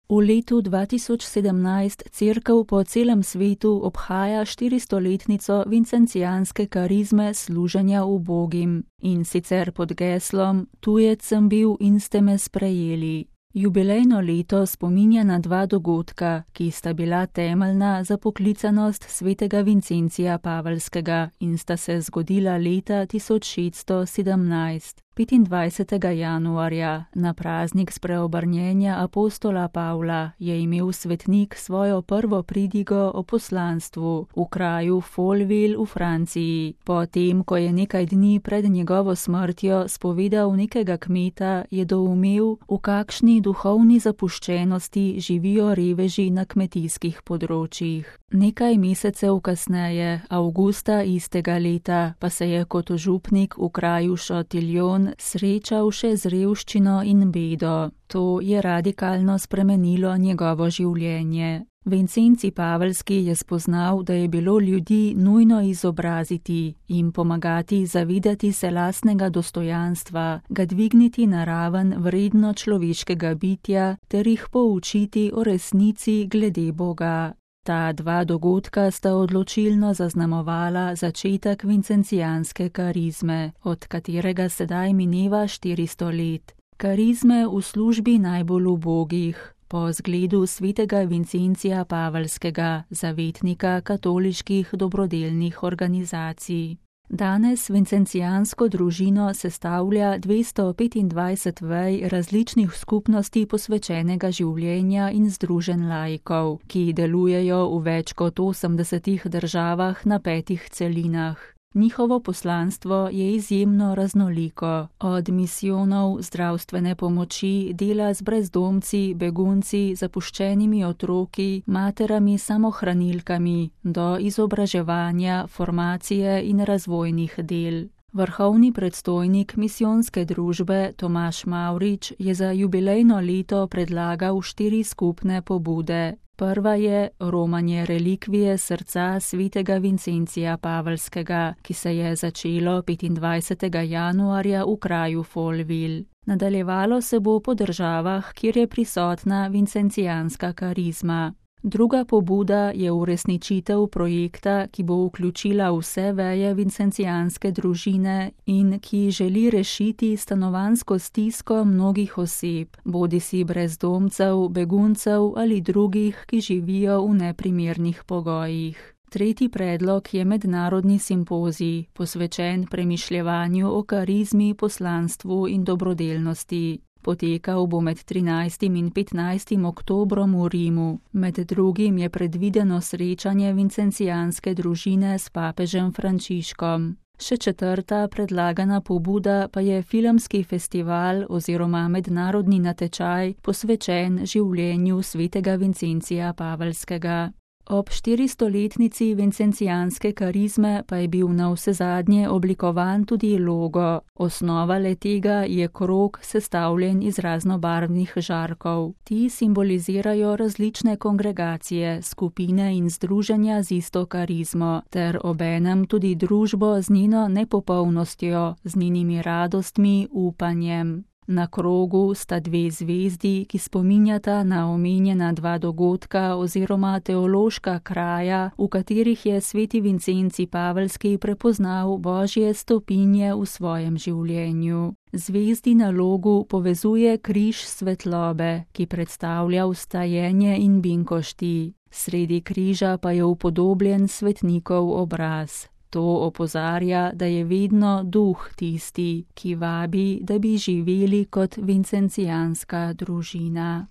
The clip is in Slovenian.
V letu 2017 Cerkev po celem svetu obhaja 400-letnico vincencijanske karizme služenja ubogim, in sicer pod geslom Tujec sem bil in ste me sprejeli. Jubilejno leto spominja na dva dogodka, ki sta bila temeljna za poklicanost svetega Vincencija Pavelskega in sta se zgodila leta 1617. 25. januarja, na praznik spreobrnjenja apostola Pavla, je imel svetnik svojo prvo pridigo o poslanstvu v kraju Folleville v Franciji. Potem, ko je nekaj dni pred njegovo smrtjo spovedal nekega kmeta, je doumel, v kakšni duhovni zapuščenosti živijo reveži na kmetijskih področjih. Nekaj mesecev kasneje, avgusta istega leta, pa se je kot župnik v kraju Châtillon srečal še z revščino in bedo. To je radikalno spremenilo njegovo življenje. Vincenci Pavelski je spoznal, da je bilo ljudi nujno izobraziti, jim pomagati zavedati se lastnega dostojanstva, ga dvigniti na raven vredno človeškega bitja ter jih poučiti o resnici glede Boga. Ta dva dogodka sta odločilno zaznamovala začetek vincencijanske karizme, od katerega sedaj mineva 400 let. Karizme v službi najbolj ubogih, po zgledu svetega Vincencija Pavelskega, zavetnika katoliških dobrodelnih organizacij. Danes vincencijansko družino sestavlja 225 vej različnih skupnosti posvečenega življenja in združenj laikov, ki delujejo v več kot 80 državah na 5 celinah. Njihovo poslanstvo je izjemno raznoliko, od misijonov, zdravstvene pomoči, dela z brezdomci, begunci, zapuščenimi otroki, materami samohranilkami, do izobraževanja, formacije in razvojnih del. Vrhovni predstojnik misijonske družbe Tomaž Mavrič je za jubilejno leto predlagal 4 skupne pobude. Prva je romanje relikvije srca svetega Vincencija Pavelskega, ki se je začelo 25. januarja v kraju Folleville. Nadaljevalo se bo po državah, kjer je prisotna vincencijanska karizma. Druga pobuda je uresničitev projekta, ki bo vključila vse veje vincencijanske družine in ki želi rešiti stanovanjsko stisko mnogih oseb, bodisi brezdomcev, beguncev ali drugih, ki živijo v neprimernih pogojih. Tretji predlog je mednarodni simpozij, posvečen premišljevanju o karizmi, poslanstvu in dobrodelnosti. Potekal bo med 13. in 15. oktobrom v Rimu. Med drugim je predvideno srečanje vincencijanske družine s papežem Frančiškom. Še četrta predlagana pobuda pa je filmski festival oziroma mednarodni natečaj posvečen življenju svetega Vincencija Pavelskega. Ob 400-letnici vincencijanske karizme pa je bil navsezadnje oblikovan tudi logo. Osnova le-tega je krog sestavljen iz raznobarvnih žarkov. Ti simbolizirajo različne kongregacije, skupine in združenja z isto karizmo, ter obenem tudi družbo z njeno nepopolnostjo, z njenimi radostmi, upanjem. Na krogu sta 2 zvezdi, ki spominjata na omenjena 2 dogodka oziroma teološka kraja, v katerih je sveti Vincenci Pavelski prepoznal Božje stopinje v svojem življenju. Zvezdi na logu povezuje križ svetlobe, ki predstavlja vstajenje in binkošti. Sredi križa pa je upodobljen svetnikov obraz. To opozarja, da je vedno duh tisti, ki vabi, da bi živeli kot vincencijanska družina.